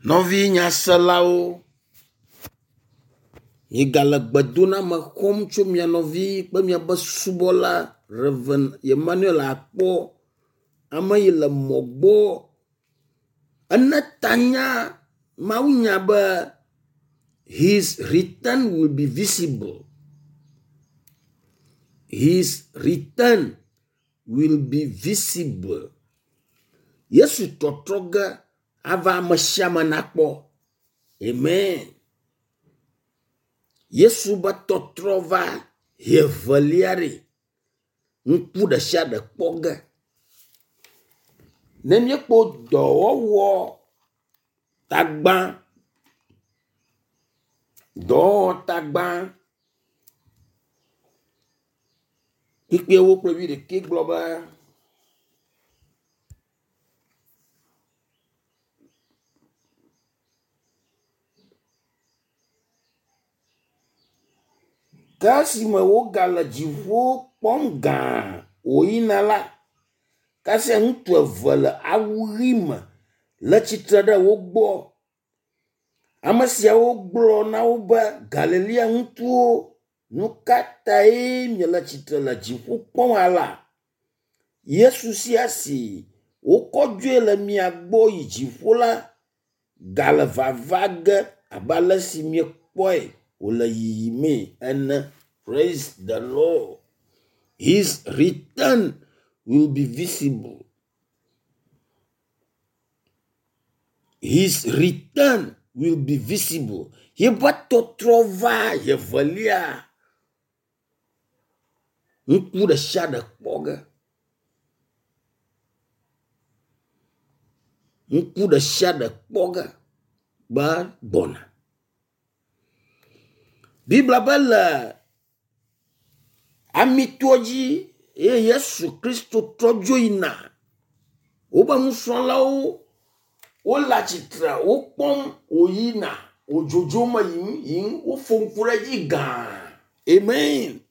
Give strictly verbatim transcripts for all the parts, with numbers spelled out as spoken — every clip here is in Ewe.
Nɔvi nyaselawo, miegale gbedoname xɔm tso mia nɔvi kple miaƒe subɔla Rev. Emmanuel Akpɔ, ame yi le mɔ gbɔ. Ene tanya mawunya be “His return will be visible. His return will be visible.” Yesu tɔtrɔ ge ava ame sia ame nakpɔ. Amen. Yesu be tɔtrɔ va ʋi evelia ɖe, ŋku ɖe sia ɖe kpɔ ge. Ne míekpɔ dɔwɔwɔ tagba, dɔwɔwɔ tagba kpukpuiwo kple wuiɖekɛ gblɔ be, ke esime wogale dziƒo kpɔm gãa wòyina la, kasia ŋutsu eve le awu ɣi me le tsitre ɖe wo gbɔ. Ame siawo gblɔ na wo be, Galilea ŋutsuwo, nu ka tae miele tsitre le dziƒo kpɔm alea? Yesu sia si wokɔ dzoe le mia gbɔ yi dziƒo la gale vava ge abe ale si miekpɔe wòle yiyimee ene. Praise the Lord. His return will be visible. His return will be visible. Yeƒe tɔtrɔ va evelia, ŋku ɖe sia ɖe kpɔ ge. Ŋku ɖe sia ɖe kpɔ ge be gbɔna. Biblia be le Amitoa dzi eye Yesu Kristo trɔ dzo yina. Wobe nusrɔ̃lawo wole atsitre wokpɔm wòyina wòdzodzom me yiyim yiyim wofo ŋku ɖe edzi gãa. Amen.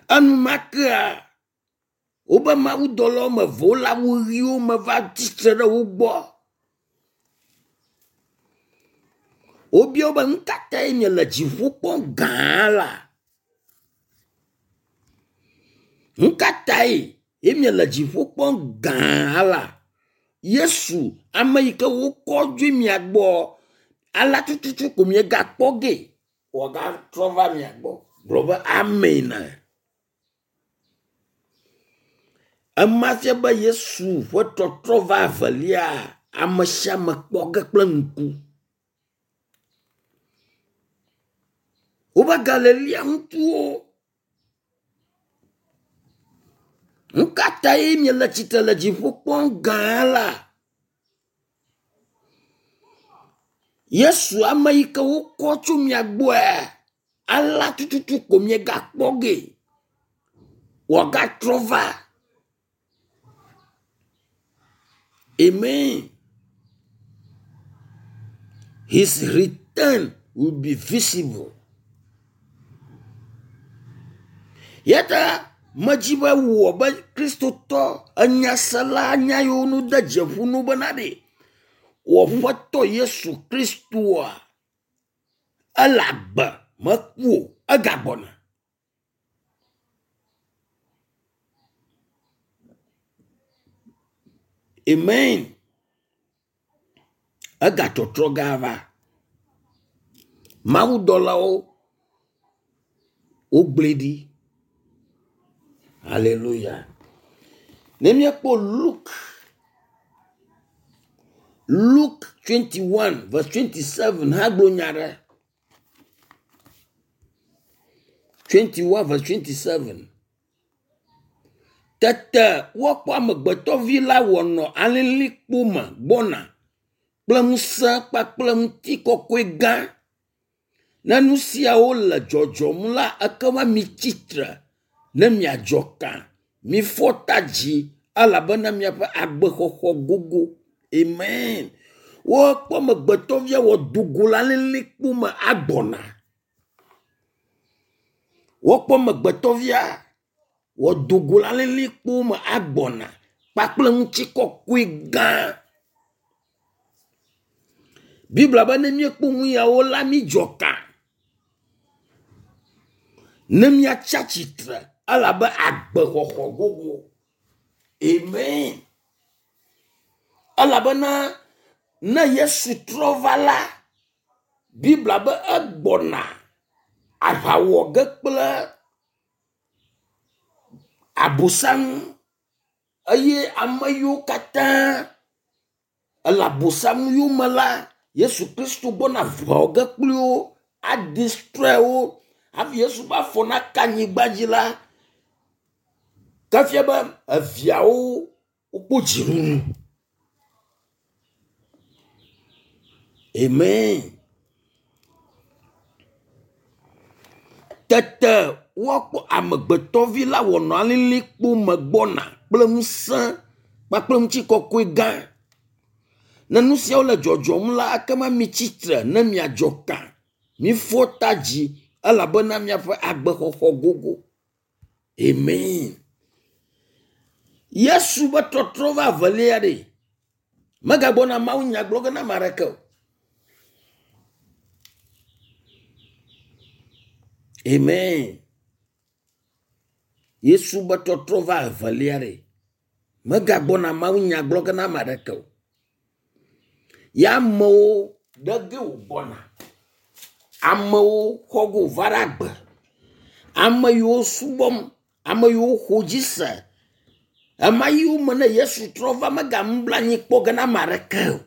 Enumakea wobe mawudɔla woame eve wole awu ɣiwo me va tsitre ɖe wo gbɔ. Wobia wo be nu ka tae miele dziƒo kpɔm gãa la? Nu ka tae ye miele dziƒo kpɔm gãa la? Yesu, ame yi ke wokɔ dzoe mia gbɔ, alea tututu ko miegakpɔ gee wòagatrɔ va mia gbɔ. Gblɔ be amen. Ema fia be Yesu ƒe tɔtrɔ va evelia, ame sia ame kpɔ ge kple ŋku. Wobe Galilea ŋutsuwo, nu ka tae miele tsitre le dziƒo kpɔm gãa la? Yesu ame yi ke wokɔ tso mia gbɔe, alea tututu ko miegakpɔ gee wòagatrɔ va. Amen. His return will be visible. Yata medzi be wò be Kristotɔ enyasela nya yiwo nu de dzeƒu nu bena ɖe wò Aƒetɔ Yesu Kristoa ele agbe meku o egagbɔna. Amen. Egatɔtrɔ ge ava. Mawudɔlawo wogblɔe ɖi. Hallelujah. Ne míekpɔ Luke Luke twenty-one verse twenty-seven hã gblɔ nya ɖe. twenty-one verse twenty-seven. Tete woakpɔ amegbetɔvi la wòanɔ alilikpo me gbɔna kple ŋusẽ kpakple ŋutikɔkɔe gã. Ne nu siawo le dzɔdzɔm la, ekema mitsi tre ne miadzɔ ka. Mifɔ ta dzi elabena miaƒe agbexɔxɔ gogo. Amen. Woakpɔ amegbetɔvia wòado go le alilikpo me agbɔna. Woakpɔ amegbetɔvia wòado go le alilikpo me agbɔna kpakple ŋutikɔkɔe gã. Biblia be ne míekpɔ nu yawo la mídzɔ ka. Ne míatsi atsitre elabe agbexɔxɔ gogo. Amen. Elabena ne Yesu trɔ va la, Biblia be egbɔna aʋa wɔ ge kple Abosam eye ame yiwo katã ele Abosam yome la, Yesu Kristo gbɔna aʋa wɔ ge kpli wo, adestroy wo hafi Yesu ƒe afɔ naka anyigba dzi la, ke fia be eviawo wokpɔ dziɖuɖu. Amen. Tete woakpɔ amegbetɔvi la wònɔ alilikpo me gbɔna kple ŋusẽ kpakple ŋutikɔkɔe gã. Ne nu siawo le dzɔdzɔm la, ekema mitsi tre ne miadzɔ ka. Mifɔ ta dzi elabena miaƒe agbexɔxɔ gogo. Amen. Yesu be trɔtrɔ va evelia ɖe. Megagbɔna Mawu nya gblɔ ge na ame aɖeke o. Amen. Yesu be trɔtrɔ va evelia ɖe. Megagbɔna Mawu nya gblɔ ge na ame aɖeke o. Ya amewo ɖe ge wògbɔna. Amewo xɔ go va ɖe agbe. Ame yiwo subɔm, ame yiwo xɔ dzi se. Ema yiwo me ne Yesu trɔ va megamubla anyi kpɔ ge na ame aɖeke o.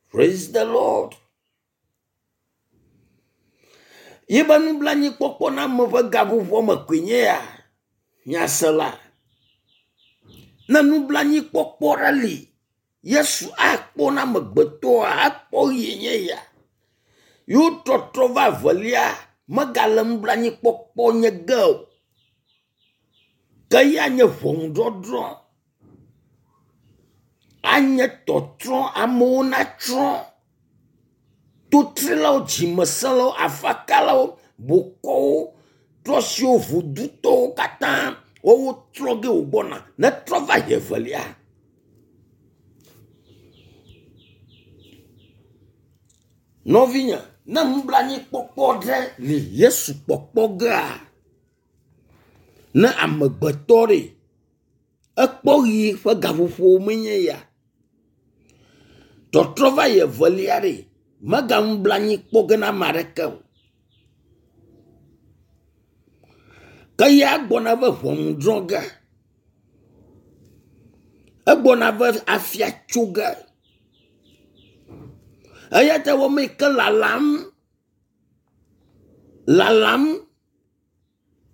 Praise the Lord. Yibe nublanuikpɔkpɔ na ame ƒe gaƒoƒoa me koe nye ya. Nyasela. Ne nublanuikpɔkpɔ ɖe li, Yesu akpɔ na amegbetɔa, akpɔ ɣie nye ya. Yewo trɔtrɔ va evelia, megale nublanuikpɔkpɔ nye ge o. Ke ya nye ʋɔnudɔdrɔ̃. Anye tɔtrɔ, amewo natrɔ. Totrilawo, dzimesẽlawo, afakalawo, bokɔwo, trɔsiwo, vodutɔwo katã woawo trɔ ge wògbɔna. Netrɔ va yi evelia. Nɔvinye, ne nublanuikpɔkpɔ ɖe li Yesu kpɔkpɔ gea, ne amegbetɔ ɖe, ekpɔ ɣi ƒe gaƒoƒo menye ya. Tɔtrɔ va yi evelia ɖe, meganublanuikpɔ ge na ame aɖeke o. Ke ya gbɔna be ʋɔnudrɔ̃ ge. Egbɔna be afia tso ge. Eya ta wɔme yi ke lalam, lalam,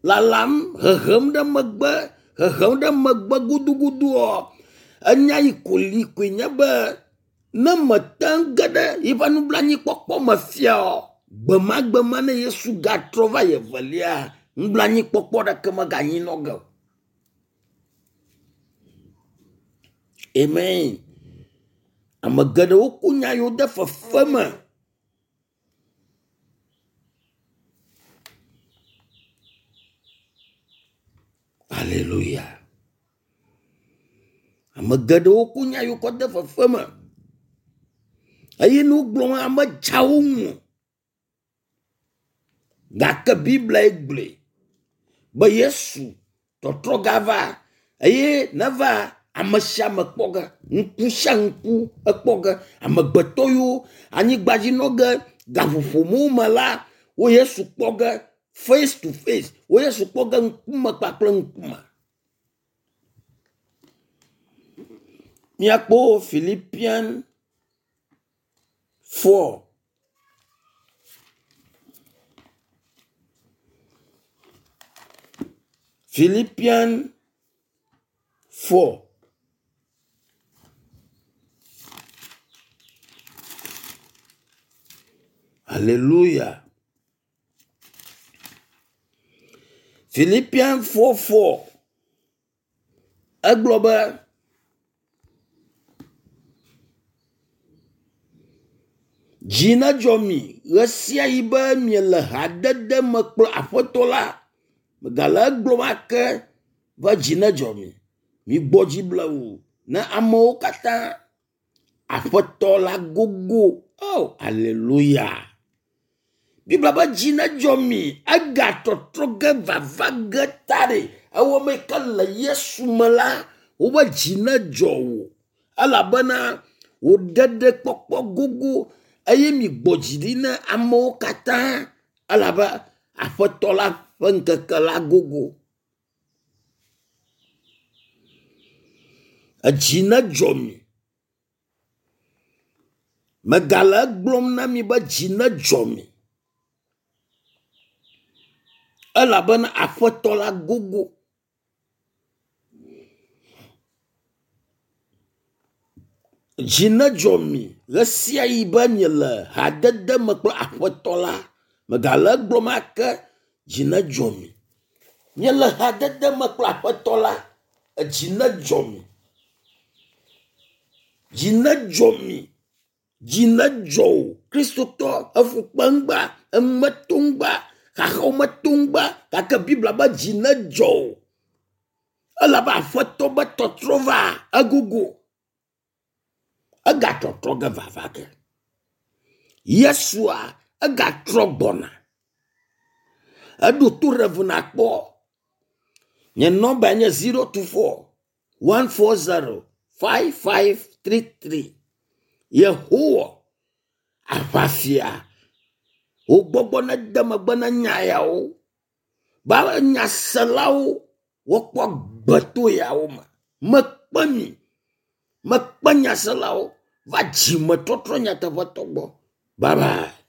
lalam, hehem ɖe megbe, hehem ɖe megbe guduguduɔ, enya yi ko li koe nye be ne mete ŋu ge ɖe yiƒe nublanuikpɔkpɔ me fia o, gbemagbe ma ne Yesu gatrɔ va yi evelia, nublanuikpɔkpɔ ɖeke meganyi nɔ ge o. Amen. Ame geɖewo ku nya yiwo de fefe me. Alléluia. Ame geɖewo ku nya yiwo kɔ de fefe me. Eye ne wogblɔ ame dzawo ŋu. Gake Biblia gblɔe be Yesu tɔtrɔ gava eye neva ame sia ame kpɔ ge, ŋku sia ŋku ekpɔ ge, amegbetɔ yiwo anyigba dzi nɔ ge gaƒoƒo me la, wo Yesu kpɔ ge face to face, wo Yesu kpɔ ge ŋkume kpakple ŋkume. Míakpɔ Philippians four. Philippians four. Alléluia. Philippians four four. Egblɔ be dzi nedzɔ mi ɣe sia ɣi be miele hadede me kple Aƒetɔ la. Megale egblɔm ake be dzi nedzɔ mi. Migbɔ dzi blewu ne amewo katã Aƒetɔ la gogo. Oh, aleluya. Biblia be dzi nedzɔ mi. Ega tɔtrɔ ge vava ge ta ɖe. Ewɔ me ke le Yesu me la, wobe dzi nedzɔ wò. Elabena wò ɖeɖekpɔkpɔ gogo eye mi gbɔ dzi ɖi na amewo katã elabe Aƒetɔ la ƒe ŋkeke la gogo. Edzi nedzɔ mi. Megale egblɔm na mi be dzi nedzɔ mi. Elabena Aƒetɔ la gogo. Dzi nedzɔ mi ɣe sia ɣi be miele hadede me kple Aƒetɔ la. Megale egblɔm ake, dzi nedzɔ mi. Miele hadede me kple Aƒetɔ la, edzi nedzɔ mi. Dzi nedzɔ mi. Dzi nedzɔ wò. Kristotɔ efukpe ŋgba, emeto ŋgba, xaxawo meto ŋgba gake Biblia be dzi nedzɔ wò. Elabe Aƒetɔ be tɔtrɔ va egogo. Egatɔtrɔ ge vava ge. Yesua egatrɔ gbɔna. Eɖo to Rev nakpɔ. Nye nɔmba nye zero two four one four zero five five three three. Yehowa aʋafia wò gbɔgbɔ nede megbe na nya yawo. Ba nyaselawo wokpɔ gbe to yawo me. Mekpe mi, mekpe nyaselawo va dzimetɔtrɔ nyateƒetɔ gbɔ. Bye bye.